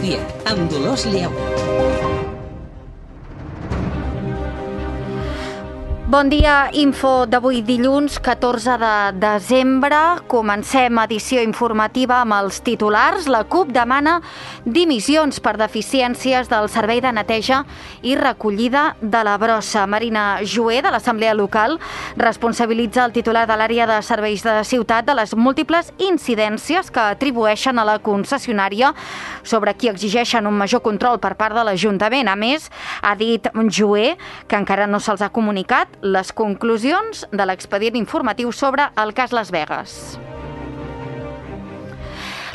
migdia, amb Dolors Lleó. Bon dia, info d'avui dilluns 14 de desembre. Comencem edició informativa amb els titulars. La CUP demana dimissions per deficiències del servei de neteja i recollida de la brossa. Marina Joé, de l'Assemblea Local, responsabilitza el titular de l'àrea de serveis de ciutat de les múltiples incidències que atribueixen a la concessionària sobre qui exigeixen un major control per part de l'Ajuntament. A més, ha dit Joé que encara no se'ls ha comunicat les conclusions de l'expedient informatiu sobre el cas Las Vegas.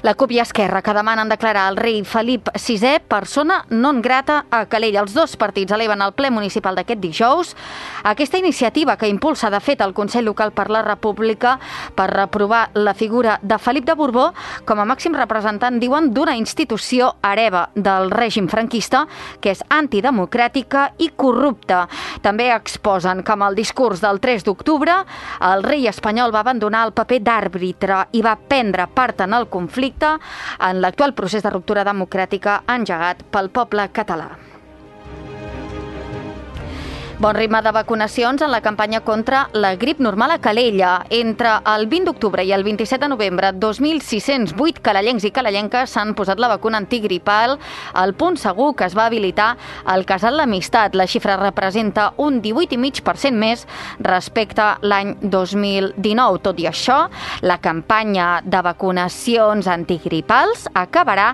La CUP i Esquerra, que demanen declarar el rei Felip VI persona non grata a Calella. Els dos partits eleven al ple municipal d'aquest dijous aquesta iniciativa que impulsa, de fet, el Consell Local per la República per reprovar la figura de Felip de Borbó com a màxim representant, diuen, d'una institució hereva del règim franquista que és antidemocràtica i corrupta. També exposen que amb el discurs del 3 d'octubre el rei espanyol va abandonar el paper d'àrbitre i va prendre part en el conflicte en l'actual procés de ruptura democràtica engegat pel poble català. Bon ritme de vacunacions en la campanya contra la grip normal a Calella. Entre el 20 d'octubre i el 27 de novembre, 2.608 calellencs i calellenques s'han posat la vacuna antigripal al punt segur que es va habilitar al Casal l'Amistat. La xifra representa un 18,5% més respecte a l'any 2019. Tot i això, la campanya de vacunacions antigripals acabarà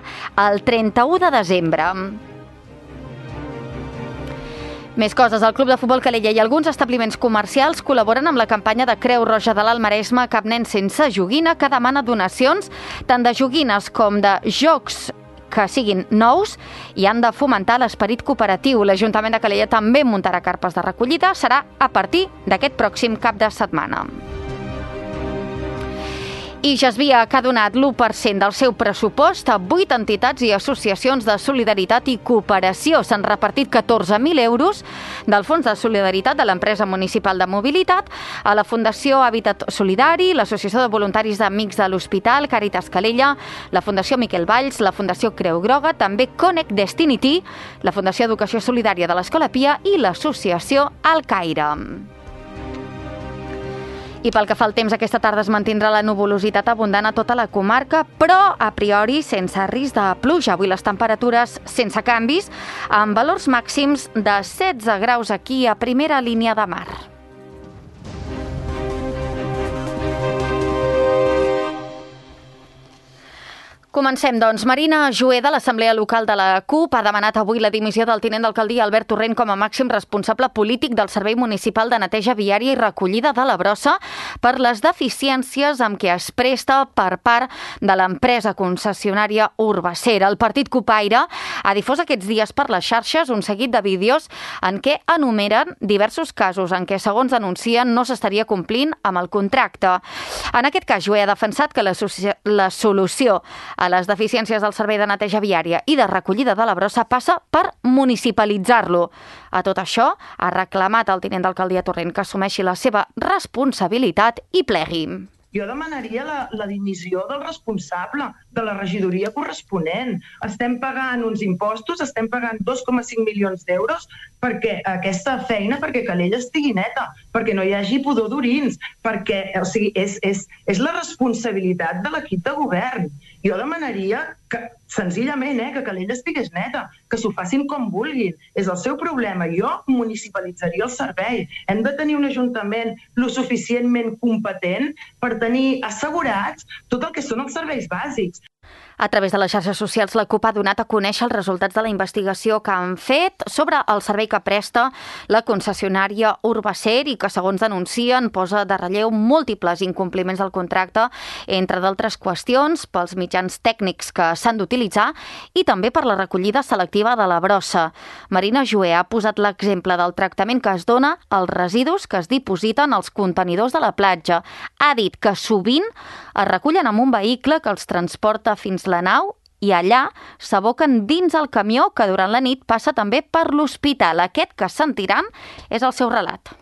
el 31 de desembre. Més coses. El Club de Futbol Calella i alguns establiments comercials col·laboren amb la campanya de Creu Roja de l'Alt Maresme Cap nen sense joguina, que demana donacions tant de joguines com de jocs que siguin nous i han de fomentar l'esperit cooperatiu. L'Ajuntament de Calella també muntarà carpes de recollida. Serà a partir d'aquest pròxim cap de setmana. I Jasvia, que ha donat l'1% del seu pressupost a 8 entitats i associacions de solidaritat i cooperació. S'han repartit 14.000 euros del Fons de Solidaritat de l'Empresa Municipal de Mobilitat a la Fundació Hàbitat Solidari, l'Associació de Voluntaris d'Amics de l'Hospital, Càritas Calella, la Fundació Miquel Valls, la Fundació Creu Groga, també Connect Destinity, la Fundació Educació Solidària de l'Escola Pia i l'Associació Al Caire. I pel que fa al temps, aquesta tarda es mantindrà la nuvolositat abundant a tota la comarca, però a priori sense risc de pluja. Avui les temperatures sense canvis, amb valors màxims de 16 graus aquí a primera línia de mar. Comencem, doncs. Marina Joé, de l'Assemblea Local de la CUP, ha demanat avui la dimissió del tinent d'alcaldia Albert Torrent com a màxim responsable polític del Servei Municipal de Neteja Viària i Recollida de la Brossa per les deficiències amb què es presta per part de l'empresa concessionària Urbacer. El partit cupaire ha difós aquests dies per les xarxes un seguit de vídeos en què enumeren diversos casos en què, segons denuncien, no s'estaria complint amb el contracte. En aquest cas, Joé ha defensat que la solució a les deficiències del servei de neteja viària i de recollida de la brossa passa per municipalitzar-lo. A tot això, ha reclamat al tinent d'alcaldia Torrent que assumeixi la seva responsabilitat i plegui. Jo demanaria la dimissió del responsable de la regidoria corresponent. Estem pagant uns impostos, estem pagant 2,5 milions d'euros perquè aquesta feina, perquè Calella estigui neta, perquè no hi hagi pudor d'orins, perquè, o sigui, és la responsabilitat de l'equip de govern. Jo demanaria que, senzillament, que Calella estigués neta, que s'ho facin com vulguin. És el seu problema. Jo municipalitzaria el servei. Hem de tenir un ajuntament lo suficientment competent per tenir assegurats tot el que són els serveis bàsics. A través de les xarxes socials, la CUP ha donat a conèixer els resultats de la investigació que han fet sobre el servei que presta la concessionària Urbacer i que, segons denuncien, posa de relleu múltiples incompliments del contracte, entre d'altres qüestions, pels mitjans tècnics que s'han d'utilitzar i també per la recollida selectiva de la brossa. Marina Joé ha posat l'exemple del tractament que es dona als residus que es dipositen als contenidors de la platja. Ha dit que sovint es recullen amb un vehicle que els transporta fins la nau i allà s'aboquen dins el camió que durant la nit passa també per l'hospital. Aquest que sentiran és el seu relat.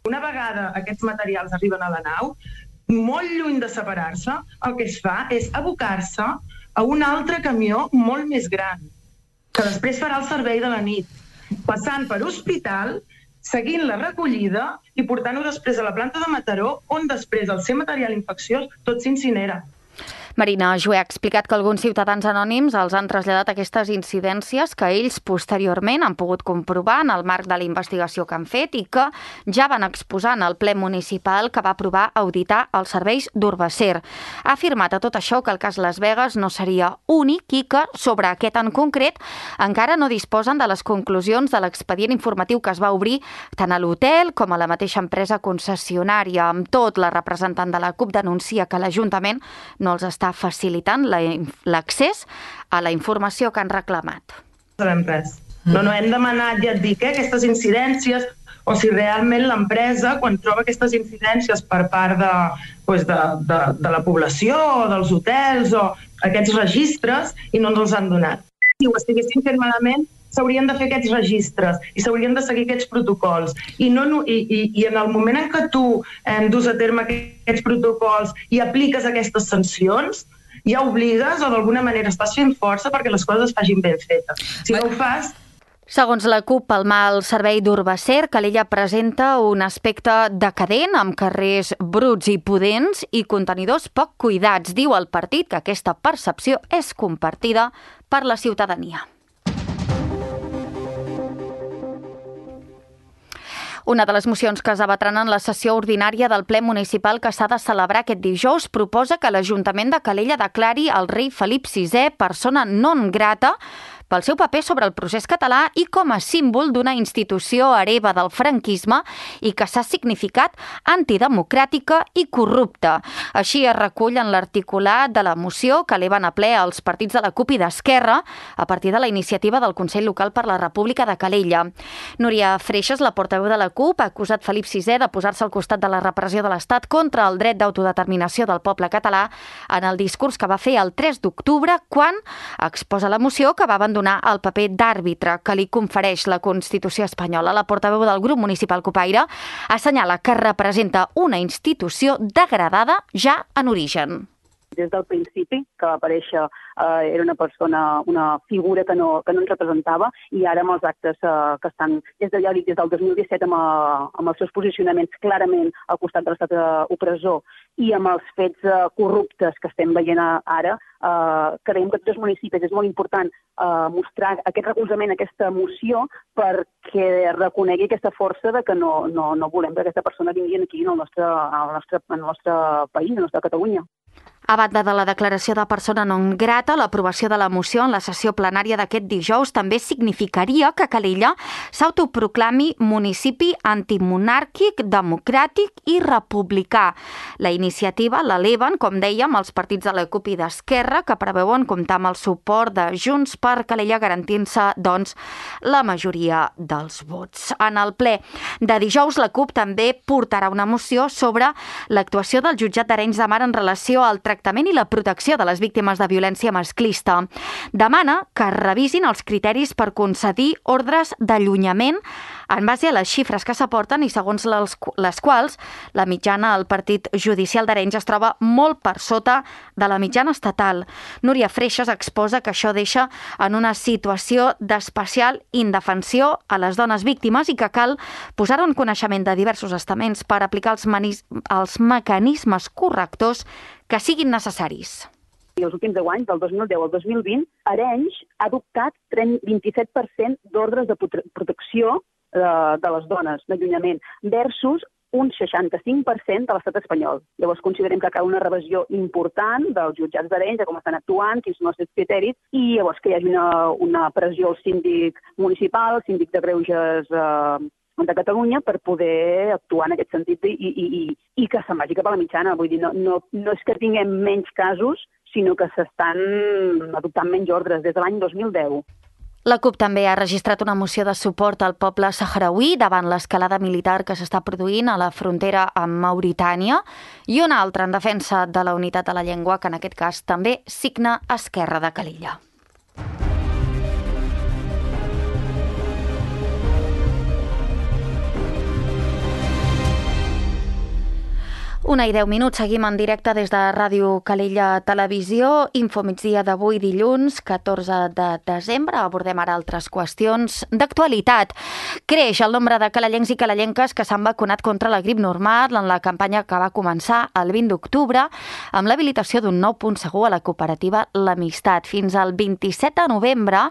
Una vegada aquests materials arriben a la nau, molt lluny de separar-se, el que es fa és abocar-se a un altre camió molt més gran. que després farà el servei de la nit, passant per hospital, seguint la recollida i portant-ho després a la planta de Mataró, on després el seu material infecciós tot s'incinera. Marina Jué ha explicat que alguns ciutadans anònims els han traslladat aquestes incidències que ells posteriorment han pogut comprovar en el marc de la investigació que han fet i que ja van exposar en el ple municipal que va aprovar auditar els serveis d'Urbacer. Ha afirmat a tot això que el cas Las Vegas no seria únic i que, sobre aquest en concret, encara no disposen de les conclusions de l'expedient informatiu que es va obrir tant a l'hotel com a la mateixa empresa concessionària. Amb tot, la representant de la CUP denuncia que l'Ajuntament no els està facilitant l'accés a la informació que han reclamat. No sabem res. No hem demanat, ja et dic, aquestes incidències, o si realment l'empresa, quan troba aquestes incidències per part de la població o dels hotels o aquests registres, i no ens els han donat. Si ho estiguessin fent malament, s'haurien de fer aquests registres i s'haurien de seguir aquests protocols. I en el moment en què tu dus a terme aquests protocols i apliques aquestes sancions, ja obligues o d'alguna manera estàs fent força perquè les coses es facin ben fetes. Si no ho fas... Segons la CUP, pel mal servei d'Urbacer, Calella presenta un aspecte decadent, amb carrers bruts i pudents i contenidors poc cuidats. Diu el partit que aquesta percepció és compartida per la ciutadania. Una de les mocions que es debatran en la sessió ordinària del ple municipal que s'ha de celebrar aquest dijous proposa que l'Ajuntament de Calella declari el rei Felip VI persona non grata pel seu paper sobre el procés català i com a símbol d'una institució hereva del franquisme i que s'ha significat antidemocràtica i corrupta. Així es recull en l'articulat de la moció que eleven a ple els partits de la CUP i d'Esquerra a partir de la iniciativa del Consell Local per la República de Calella. Núria Freixas, la portaveu de la CUP, ha acusat Felip VI de posar-se al costat de la repressió de l'Estat contra el dret d'autodeterminació del poble català en el discurs que va fer el 3 d'octubre quan exposa la moció que va abandonar el paper d'àrbitre que li confereix la Constitució espanyola. La portaveu del grup municipal Cupaire assenyala que representa una institució degradada ja en origen. Des del principi que va aparèixer era una persona, una figura que no ens representava i ara amb els actes que estan des del 2017 amb els seus posicionaments clarament al costat de l'estat opressor i amb els fets corruptes que estem veient ara, creiem que tots els municipis és molt important mostrar aquest recolzament, aquesta emoció perquè reconegui aquesta força de que no volem que aquesta persona vingui aquí al nostre país, a la nostra Catalunya. A banda de la declaració de persona non grata, l'aprovació de la moció en la sessió plenària d'aquest dijous també significaria que Calella s'autoproclami municipi antimonàrquic, democràtic i republicà. La iniciativa l'eleven, com dèiem, els partits de la CUP i d'Esquerra, que preveuen comptar amb el suport de Junts per Calella, garantint-se, doncs, la majoria dels vots. En el ple de dijous, la CUP també portarà una moció sobre l'actuació del jutjat d'Arenys de Mar en relació al tractament i la protecció de les víctimes de violència masclista. Demana que es revisin els criteris per concedir ordres d'allunyament en base a les xifres que s'aporten i segons les quals la mitjana al partit judicial d'Arenys es troba molt per sota de la mitjana estatal. Núria Freixas exposa que això deixa en una situació d'especial indefensió a les dones víctimes i que cal posar en coneixement de diversos estaments per aplicar els mecanismes correctors que siguin necessaris. I els últims 10 anys, del 2010 al 2020, Arenys ha adoptat 27% d'ordres de protecció de les dones, d'allunyament, versus un 65% de l'estat espanyol. Llavors considerem que cal una revisió important dels jutjats d'Arenys, de com estan actuant, quins són els seus criteris, i llavors que hi hagi una pressió al síndic municipal, al síndic de greuges de Catalunya per poder actuar en aquest sentit i que se'n vagi cap a la mitjana. Vull dir, no és que tinguem menys casos, sinó que s'estan adoptant menys ordres des de l'any 2010. La CUP també ha registrat una moció de suport al poble sahrauí davant l'escalada militar que s'està produint a la frontera amb Mauritània i una altra en defensa de la unitat de la llengua, que en aquest cas també signa Esquerra de Calella. 1:10, seguim en directe des de Ràdio Calella Televisió. Infomigdia d'avui, dilluns, 14 de desembre. Abordem ara altres qüestions d'actualitat. Creix el nombre de calellencs i calellenques que s'han vacunat contra la grip normal en la campanya que va començar el 20 d'octubre amb l'habilitació d'un nou punt segur a la cooperativa L'Amistat. Fins al 27 de novembre,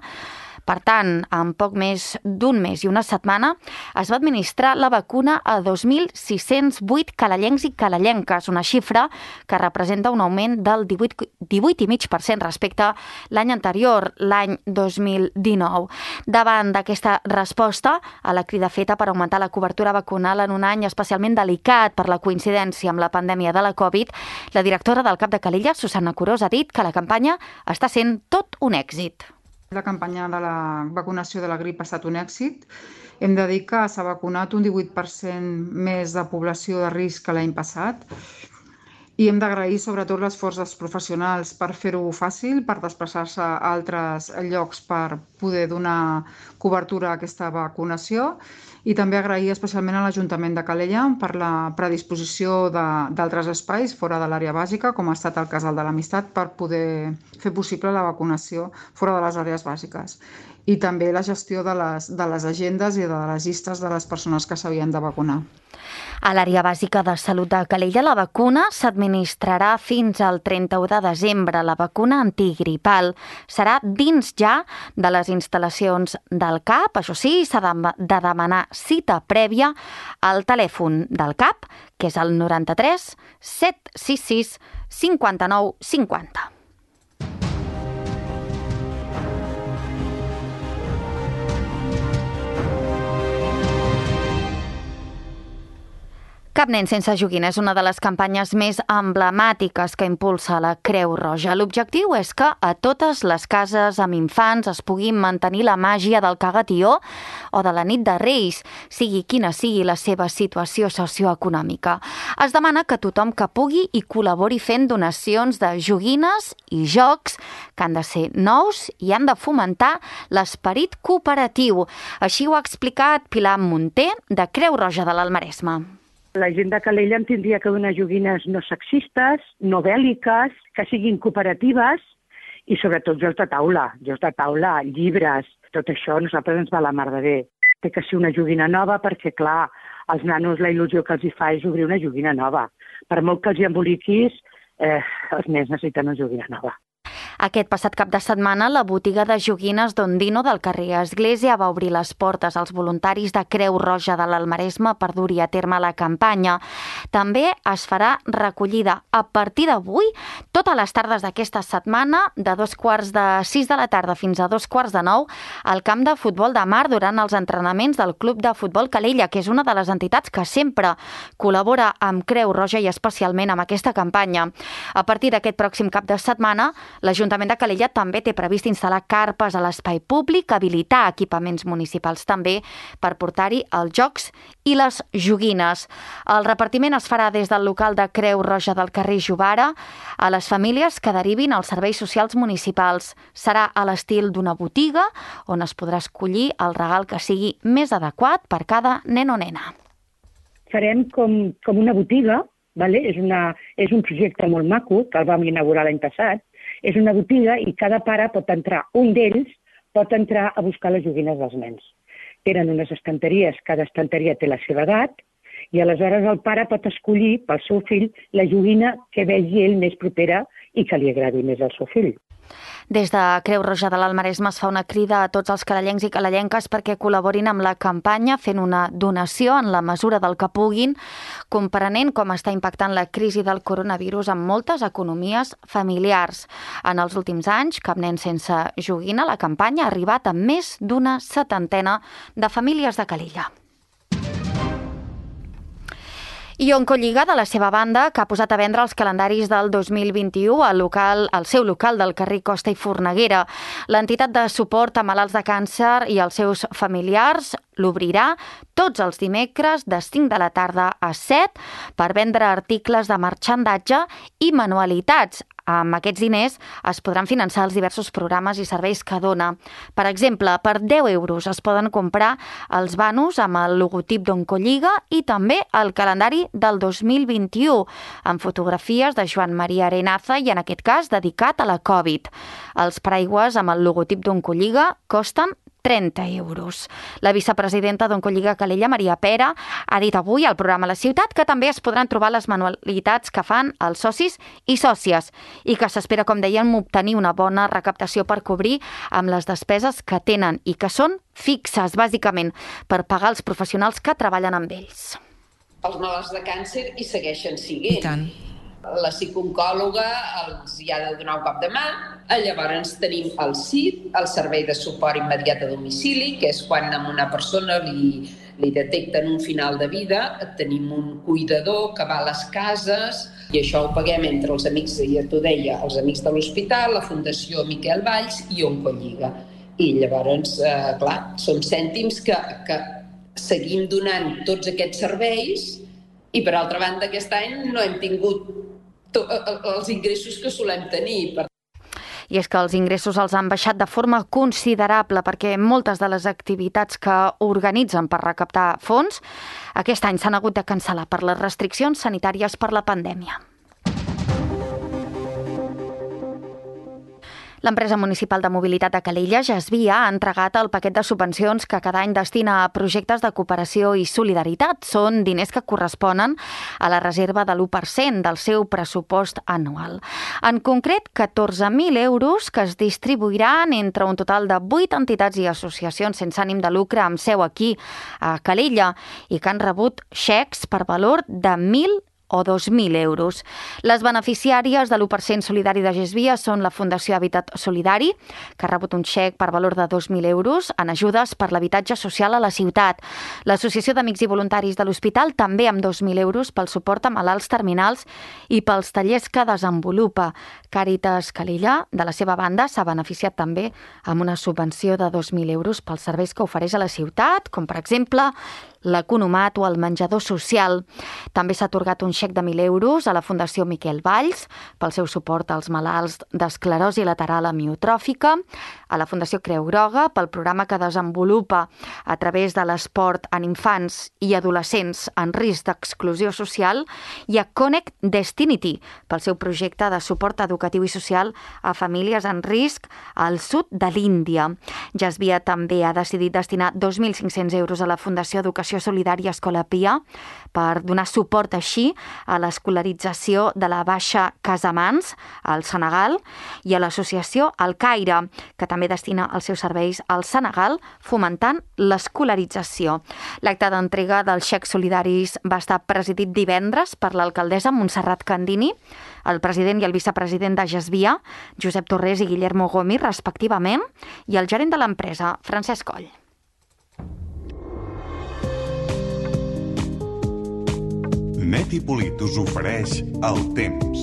per tant, en poc més d'un mes i una setmana, es va administrar la vacuna a 2.608 calellencs i calellenques, una xifra que representa un augment del 18,5% respecte a l'any anterior, l'any 2019. Davant d'aquesta resposta a la crida feta per augmentar la cobertura vacunal en un any especialment delicat per la coincidència amb la pandèmia de la Covid, la directora del CAP de Calella, Susana Curós, ha dit que la campanya està sent tot un èxit. La campanya de la vacunació de la grip ha estat un èxit. Hem de dir que s'ha vacunat un 18% més de població de risc que l'any passat i hem d'agrair sobretot l'esforç dels professionals per fer-ho fàcil, per desplaçar-se a altres llocs per poder donar cobertura a aquesta vacunació i també agrair especialment a l'Ajuntament de Calella per la predisposició d'altres espais fora de l'àrea bàsica, com ha estat el casal de l'Amistat, per poder fer possible la vacunació fora de les àrees bàsiques. I també la gestió de les agendes i de les llistes de les persones que s'havien de vacunar. A l'àrea bàsica de salut de Calella, la vacuna s'administrarà fins al 31 de desembre. La vacuna antigripal serà dins ja de les instal·lacions del CAP. Això sí, s'ha de demanar cita prèvia al telèfon del CAP, que és el 93 766 59 50. Cap nen sense joguina és una de les campanyes més emblemàtiques que impulsa la Creu Roja. L'objectiu és que a totes les cases amb infants es pugui mantenir la màgia del cagatió o de la nit de Reis, sigui quina sigui la seva situació socioeconòmica. Es demana que tothom que pugui hi col·labori fent donacions de joguines i jocs que han de ser nous i han de fomentar l'esperit cooperatiu. Així ho ha explicat Pilar Munté, de Creu Roja de l'Almaresme. La gent de Calella en tindria que donar joguines no sexistes, no bèl·liques, que siguin cooperatives i sobretot jocs de taula, llibres, tot això a nosaltres ens va la mar de bé. Té que ser una joguina nova perquè, clar, als nanos la il·lusió que els hi fa és obrir una joguina nova. Per molt que els hi emboliquis, els nens necessiten una joguina nova. Aquest passat cap de setmana, la botiga de joguines d'Ondino del carrer Església va obrir les portes als voluntaris de Creu Roja de l'Almaresme per dur-hi a terme la campanya. També es farà recollida a partir d'avui, totes les tardes d'aquesta setmana, de 6:15 de la tarda fins a 8:45, al camp de futbol de mar durant els entrenaments del Club de Futbol Calella, que és una de les entitats que sempre col·labora amb Creu Roja i especialment amb aquesta campanya. A partir d'aquest pròxim cap de setmana, l'Ajuntament de Calella també té previst instal·lar carpes a l'espai públic, habilitar equipaments municipals també per portar-hi els jocs i les joguines. El repartiment es farà des del local de Creu Roja del carrer Jovara a les famílies que derivin als serveis socials municipals. Serà a l'estil d'una botiga on es podrà escollir el regal que sigui més adequat per cada nen o nena. Farem com una botiga, vale? És un projecte molt maco que el vam inaugurar l'any passat. És una botiga i cada pare pot entrar, un d'ells pot entrar a buscar les joguines dels nens. Tenen unes estanteries, cada estanteria té la seva edat, i aleshores el pare pot escollir pel seu fill la joguina que vegi ell més propera i que li agradi més al seu fill. Des de Creu Roja de l'Almaresme es fa una crida a tots els calellencs i calellenques perquè col·laborin amb la campanya fent una donació en la mesura del que puguin, comprenent com està impactant la crisi del coronavirus en moltes economies familiars. En els últims anys, Cap nen sense joguina, la campanya ha arribat a més d'una 70 de famílies de Calella. I Oncolliga, de la seva banda, que ha posat a vendre els calendaris del 2021 al seu local del carrer Costa i Forneguera. L'entitat de suport a malalts de càncer i els seus familiars l'obrirà tots els dimecres de 5 de la tarda a 7 per vendre articles de marxandatge i manualitats. Amb aquests diners es podran finançar els diversos programes i serveis que dona. Per exemple, per 10 euros es poden comprar els banos amb el logotip d'Oncolliga i també el calendari del 2021, amb fotografies de Joan Maria Arenaza i, en aquest cas, dedicat a la Covid. Els paraigües amb el logotip d'Oncolliga costen 30 euros. La vicepresidenta d'Oncolliga Calella, Maria Pera, ha dit avui al programa La Ciutat que també es podran trobar les manualitats que fan els socis i sòcies i que s'espera, com dèiem, obtenir una bona recaptació per cobrir amb les despeses que tenen i que són fixes, bàsicament, per pagar els professionals que treballen amb ells. Els malalts de càncer hi segueixen siguent. I tant. La psicooncòloga els hi ha de donar un cop de mà. Llavors tenim el SID, el Servei de Suport Immediat a Domicili, que és quan a una persona li detecten un final de vida. Tenim un cuidador que va a les cases i això ho paguem entre els amics, ja t'ho deia, els amics de l'hospital, la Fundació Miquel Valls i Oncolliga. I llavors, clar, són cèntims que seguim donant tots aquests serveis i, per altra banda, aquest any no hem tingut els ingressos que solem tenir. I és que els ingressos els han baixat de forma considerable perquè moltes de les activitats que organitzen per recaptar fons aquest any s'han hagut de cancel·lar per les restriccions sanitàries per la pandèmia. L'empresa municipal de mobilitat de Calella, Gesvia, ha entregat el paquet de subvencions que cada any destina a projectes de cooperació i solidaritat. Són diners que corresponen a la reserva de l'1% del seu pressupost anual. En concret, 14.000 euros que es distribuiran entre un total de 8 entitats i associacions sense ànim de lucre amb seu aquí a Calella i que han rebut xecs per valor de 1.000 o 2.000 euros. Les beneficiàries de l'1% solidari de Gesvia són la Fundació Habitat Solidari, que ha rebut un xec per valor de 2.000 euros en ajudes per l'habitatge social a la ciutat. L'Associació d'Amics i Voluntaris de l'Hospital també amb 2.000 euros pel suport a malalts terminals i pels tallers que desenvolupa. Càritas Calella, de la seva banda, s'ha beneficiat també amb una subvenció de 2.000 euros pels serveis que ofereix a la ciutat, com per exemple l'Economat o el menjador social. També s'ha atorgat un xec de 1.000 euros a la Fundació Miquel Valls pel seu suport als malalts d'esclerosi lateral amiotròfica, a la Fundació Creu Groga pel programa que desenvolupa a través de l'esport en infants i adolescents en risc d'exclusió social i a Connect Destinity pel seu projecte de suport educatiu i social a famílies en risc al sud de l'Índia. Gesvia també ha decidit destinar 2.500 euros a la Fundació Educació Solidària Escola Pia per donar suport així a l'escolarització de la Baixa Casamans al Senegal i a l'associació El Caire, que també destina els seus serveis al Senegal fomentant l'escolarització. L'acte d'entrega dels xecs solidaris va estar presidit divendres per l'alcaldessa Montserrat Candini, el president i el vicepresident de Gesvia, Josep Torrés i Guillermo Gomis, respectivament, i el gerent de l'empresa, Francesc Coll. Net i Polit us ofereix el temps.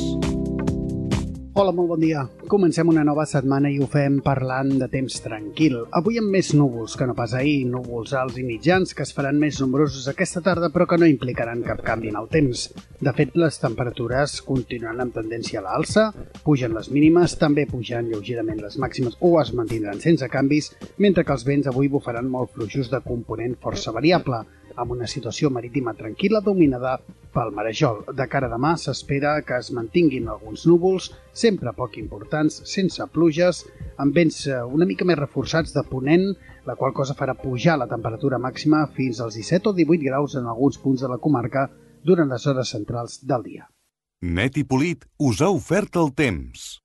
Hola, molt bon dia. Comencem una nova setmana i ho fem parlant de temps tranquil. Avui amb més núvols que no pas ahir, núvols alts i mitjans que es faran més nombrosos aquesta tarda però que no implicaran cap canvi en el temps. De fet, les temperatures continuaran amb tendència a l'alça, pugen les mínimes, també pujan lleugerament les màximes o es mantindran sense canvis, mentre que els vents avui bufaran molt fluixos de component força variable, amb una situació marítima tranquil·la dominada pel marejol. De cara a demà s'espera que es mantinguin alguns núvols, sempre poc importants, sense pluges, amb vents una mica més reforçats de ponent, la qual cosa farà pujar la temperatura màxima fins als 17 o 18 graus en alguns punts de la comarca durant les hores centrals del dia. Net i Polit us ha ofert el temps.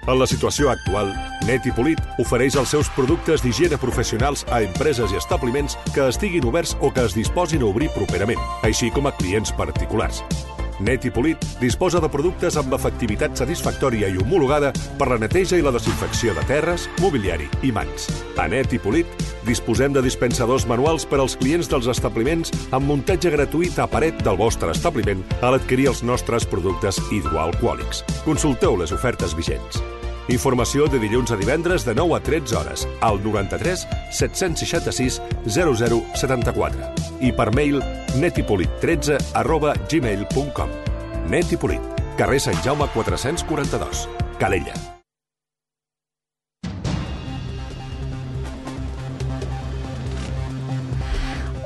En la situació actual, Net i Polit ofereix els seus productes d'higiene professionals a empreses i establiments que estiguin oberts o que es disposin a obrir properament, així com a clients particulars. Net i Polit disposa de productes amb efectivitat satisfactòria i homologada per la neteja i la desinfecció de terres, mobiliari i mans. A Net i Polit disposem de dispensadors manuals per als clients dels establiments amb muntatge gratuït a paret del vostre establiment a l'adquirir els nostres productes hidroalcohòlics. Consulteu les ofertes vigents. Informació de dilluns a divendres de 9 a 13 hores al 93 766 0074 i per mail netipolit13@gmail.com. Netipolit, carrer Sant Jaume 442, Calella.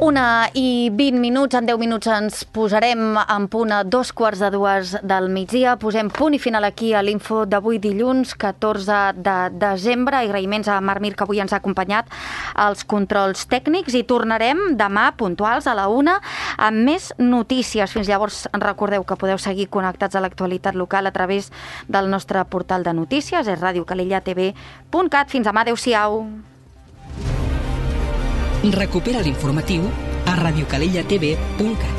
1:20, en 10 minuts ens posarem en punt a 2:15 del migdia. Posem punt i final aquí a l'info d'avui dilluns 14 de desembre. Agraïments a Marc Mir, que avui ens ha acompanyat als controls tècnics, i tornarem demà puntuals a la 1 amb més notícies. Fins llavors recordeu que podeu seguir connectats a l'actualitat local a través del nostre portal de notícies, és radiocalellatv.cat. Fins demà, adeu-siau. Recupera l'informatiu a radiocalellatv.cat.